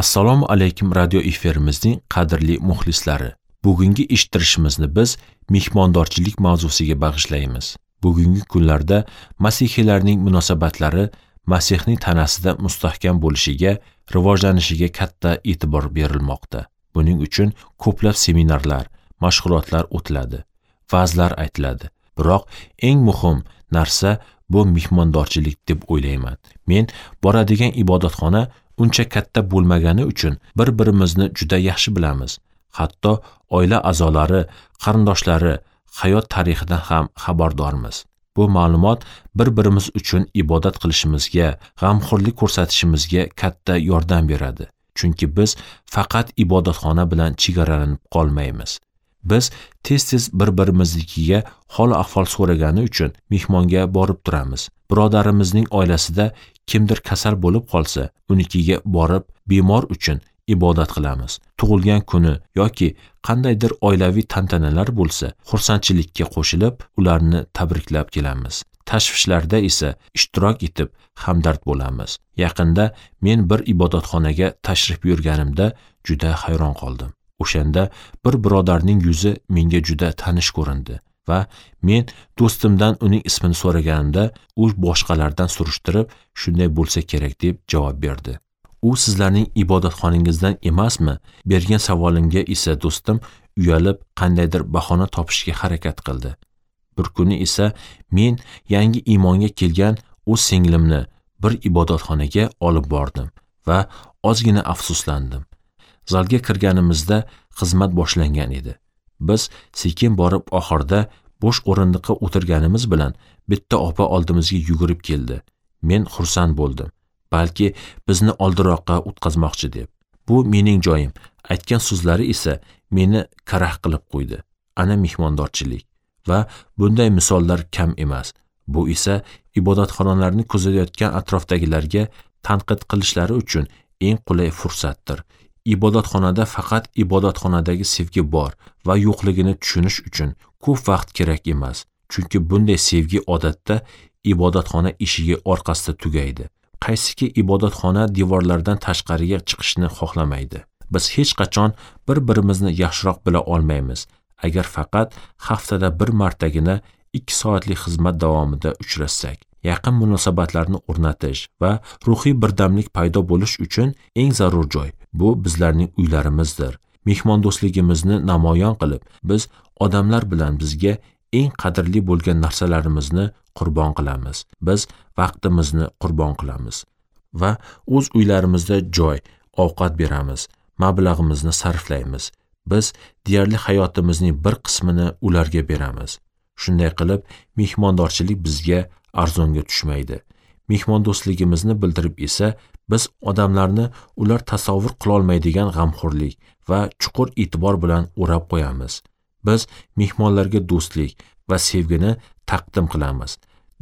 Assalomu alaykum radio efirimizning qadrli muxlislari. Bugungi eshittirishimizni biz mehmondorchilik mavzusiga bag'ishlaymiz. Bugungi kunlarda masihiylarning munosabatlari Masihning tanasida mustahkam bo'lishiga, rivojlanishiga katta e'tibor berilmoqda. Buning uchun ko'plab seminarlar, mashg'ulotlar o'tiladi, va'zlar aytiladi. Biroq eng muhim narsa bu mehmondorchilik deb o'ylayman. Men boradigan ibodatxona uncha katta bo'lmagani uchun bir-birimizni juda yaxshi bilamiz. Hatto oila a'zolari, qarindoshlari hayot tarixidan ham xabardormiz. Bu ma'lumot bir-birimiz uchun ibodat qilishimizga, g'amxo'rlik ko'rsatishimizga katta yordam beradi. Chunki biz faqat ibodatxona bilan chegaralanib qolmaymiz. Biz tez-tez bir-birimiznikiga hol-ahvol so'ragani uchun mehmonga borib turamiz. Birodarimizning oilasida kimdir kasal bo'lib qolsa, unikiga borib bemor uchun ibodat qilamiz. Tug'ilgan kuni yoki qandaydir oilaviy tantanalar bo'lsa, xursandchilikka qo'shilib, ularni tabriklab kelamiz. Tashvishlarda esa ishtirok etib hamdard bo'lamiz. Yaqinda men bir ibodatxonaga tashrif buyurganimda juda hayron qoldim. O'shanda bir birodarning yuzi menga juda tanish ko'rindi va men do'stimdan uning ismini so'raganimda, u boshqalardan surishtirib, shunday bo'lsa kerak deb javob berdi. U sizlarning ibodatxonangizdan emasmi? Bergan savolimga esa do'stim uyalib, qandaydir bahona topishga harakat qildi. Bir kuni esa men yangi iymonga kelgan o'z singlimni bir ibodatxonaga olib bordim va ozgina afsuslandim. Zalga kirganimizda xizmat boshlangan edi. Biz sekin borib oxirda bo'sh o'rindiqqa o'tirganimiz bilan bitta opa oldimizga yugurib keldi. Men xursand bo'ldim. Balki bizni oldiroqqa o'tkazmoqchi deb. Bu mening joyim. Aytgan so'zlari esa meni karah qilib qo'ydi. Ana mehmondorchilik va bunday misollar kam emas. Bu esa ibodatxonalarni kuzatayotgan atrofdagilarga tanqid qilishlari uchun eng qulay fursatdir. Ibodatxonada faqat ibodatxonadagi sevgi bor va yo'qligini tushunish uchun ko'p vaqt kerak emas. Chunki bunday sevgi odatda ibodatxona eshigi orqasida tugaydi. Qaysiki ibodatxona devorlaridan tashqariga chiqishni xohlamaydi. Biz hech qachon bir-birimizni yaxshiroq bila olmaymiz, agar faqat haftada bir martagina 2 soatlik xizmat davomida uchrashsak. Yaqin munosabatlarni o'rnatish va ruhiy birdamlik paydo bo'lish uchun eng zarur joy bu bizlarning uylarimizdir. Mehmondo'stligimizni namoyon qilib, biz odamlar bilan bizga eng qadrli bo'lgan narsalarimizni qurbon qilamiz. Biz vaqtimizni qurbon qilamiz va o'z uylarimizda joy, ovqat beramiz, mablag'imizni sarflaymiz. Biz deyarli hayotimizning bir qismini ularga beramiz. Shunday qilib, mehmondorchilik bizga arzonga tushmaydi. Mehmondo'stligimizni bildirib esa biz odamlarni ular tasavvur qila olmaydigan g'amxo'rlik va chuqur e'tibor bilan o'rab qo'yamiz. Biz mehmonlarga do'stlik va sevgini taqdim qilamiz.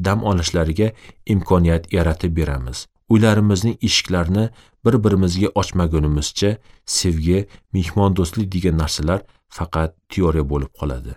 Dam olishlariga imkoniyat yaratib beramiz. Uylarimizning eshiklarini bir-birimizga ochmagunimizcha sevgi, mehmondo'stlik degan narsalar faqat teoriya bo'lib qoladi.